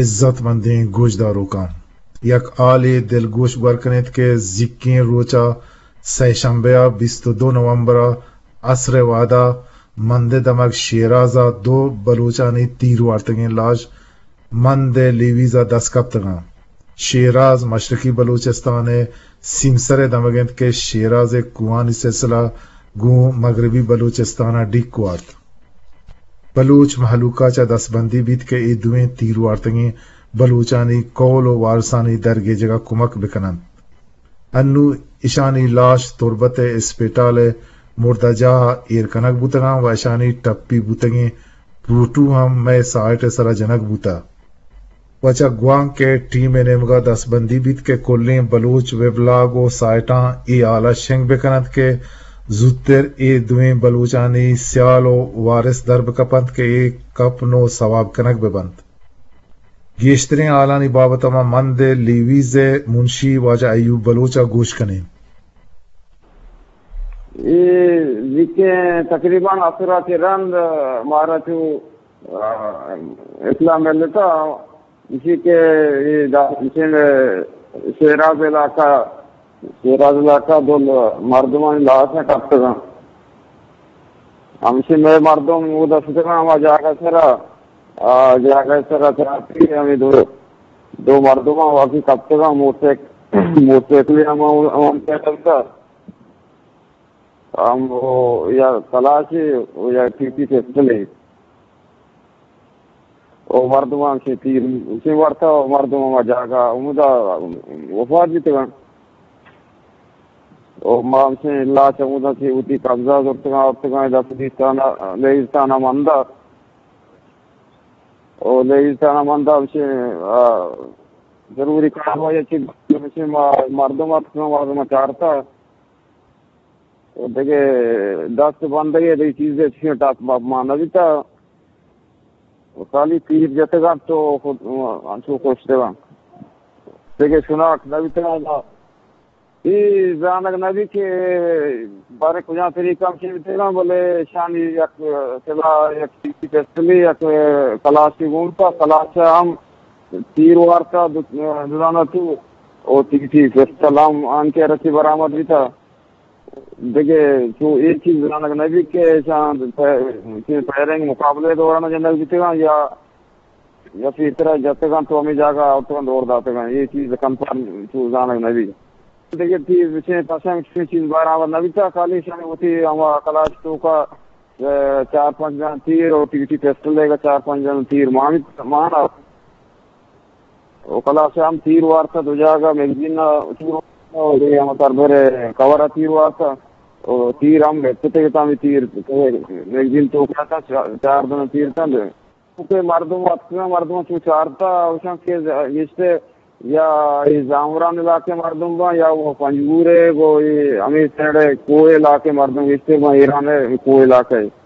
عزت مندیں گوشداروکاں، یک ہالے دلگوش گور کن ات کہ زیکیں روچ ءَ سئے شمبے ءَ بیست ءُ دو نومبر ءَ عصر ءِ وہد ءَ مند ءِ دمگ شیراز ءَ دو بلوچانی تیر وارتگیں لاش مند ءِ لیویز ءَ دست کپتگ اَنت۔ شیراز مشرقی بلوچستان ءِ سیمسر ءِ دمگ اِنت کہ شیراز ءِ کوہانی سلسلہ گوں مغربی بلوچستان ءَ ڈیک وارت۔ بلوچ مہلوک ءَ چہ دستبندی بیت کہ اے دوئیں تیر وارتگیں بلوچانی کہول ءُ وارسانی درگیجگ ءَ کمک بہ کن اَنت۔ انوں اشانی لاش تربت ءِ اسپتال ءِ مردہ جاہ ءَ ایر کنگ بوتگ اَنت ءُ اشانی ٹپی بوتگیں پوٹو ہم مئے سائٹ ءِ سرا جنگ بوتگ۔ و چہ گوانک ءِ ٹیم ءِ نیمگ ءَ دستبندی بیت کہ کلیں بلوچ ویبلاگ ءُ سائٹاں اے ہال ءَ شنگ بہ کن اَنت کہ زوتر اے دوئیں بلوچانی سیال ءُ وارث در بہ کپ اَنت کہ اے کپن ءُ سواب کنگ بہ بنت۔ گیشتریں ہالانی بابت ءَ ما مند ءِ لیویز ءِ منشی واجہ ایوب بلوچ ءَ گوش کن ایں۔ اے زیکیں تقریباً عصر ءَ چہ رند مارا چو، آ، اطلاع ملتا، اسی کہ اے دا-، اسی میں شیراز علاقہ، شیراز علاقہ دو ل-، مردمانی لاش کپتگاں۔ ہمشی میں مردم وہ دستگاں ہما جاگہ سرا، آ، جاگہ سرا تراتی ہمیں دو، دو مردم واقعی کپتگاں، موٹر سائیک-، موٹر سائیکل ہم، ہم، ہم، ہم، او یا کلاشے او یا ٹی ٹی پسٹلے۔ او مردماں چہ تیر چہ ورتا، او مردم ہما جاگہ ہمودا وفات بیتگاں۔ او ما ہمشیں لاش ہمودا چہ وتی قبضہ زرتگاں، آورتگاں، دست دیستانا، لیویز تھانہ مندا۔ او لیویز تھانہ مندا ہمشیں، آ، ضروری کاروائی چہ ہمشیں ما-، مردم اتکاں، مردم چارتا۔ و دگہ دست بندگی دگہ چیزے چشیں ٹاپ ماپ ما نہ بیتا۔ و خالی تیر جتگاں تو خود انچو کشتگاں۔ دگہ شناخت نہ بیتگاں۔ اے زانگ نہ بیت کہ بارے کجام طریقہ ہم چی بیتگاں، بلے شانی یک سلاح، یک ٹی ٹی پسٹلی، یک کلاشے گون تا، کلاش ہم تیر وارتا، دو، دو دانہ تو، او ٹی ٹی پسٹل ہم آنکہ رسی برآمد بیتا۔ دگہ چو اے چیز زانگ نہ بیت کہ ایشاں پہ-، چہ فائرنگ مقابلہ دوران جنگ بیتگاں یا، یا پیسرا جتگاں تو ہمے جاگہ آورتگاں دور داتگاں، اے چیز کنفرم چو زانگ نہ بیت۔ دگہ چیز چہ پسند چیز برآمد نہ بیتا، خالی ایشاں وتی ہما کلاش توکا، اے، چار پنچ جن تیر اور ٹی ٹی پسٹل دے گا، چار پنچ جن تیر مان، مان و کلاش ہم تیر وارتا دو جاگہ، میگزین ءَ تیر وارتا، و دگہ ہم سربر کور ءَ تیر وارتا، و تیر ہم گپتے تامی تیر، میگزین توکا تا چا-، چار دن تیر تند۔ کہ مردم اتکگاں، مردم چو چارتا، اوشان کہ گشتے یا اے زامران علاقے مردم باں، یا وہ پنجگور ہے، وہ اے ہمیں سائیڈ کوہ علاقے مردم گشتے باں، ایران ہے، کوہ علاقہ ہے۔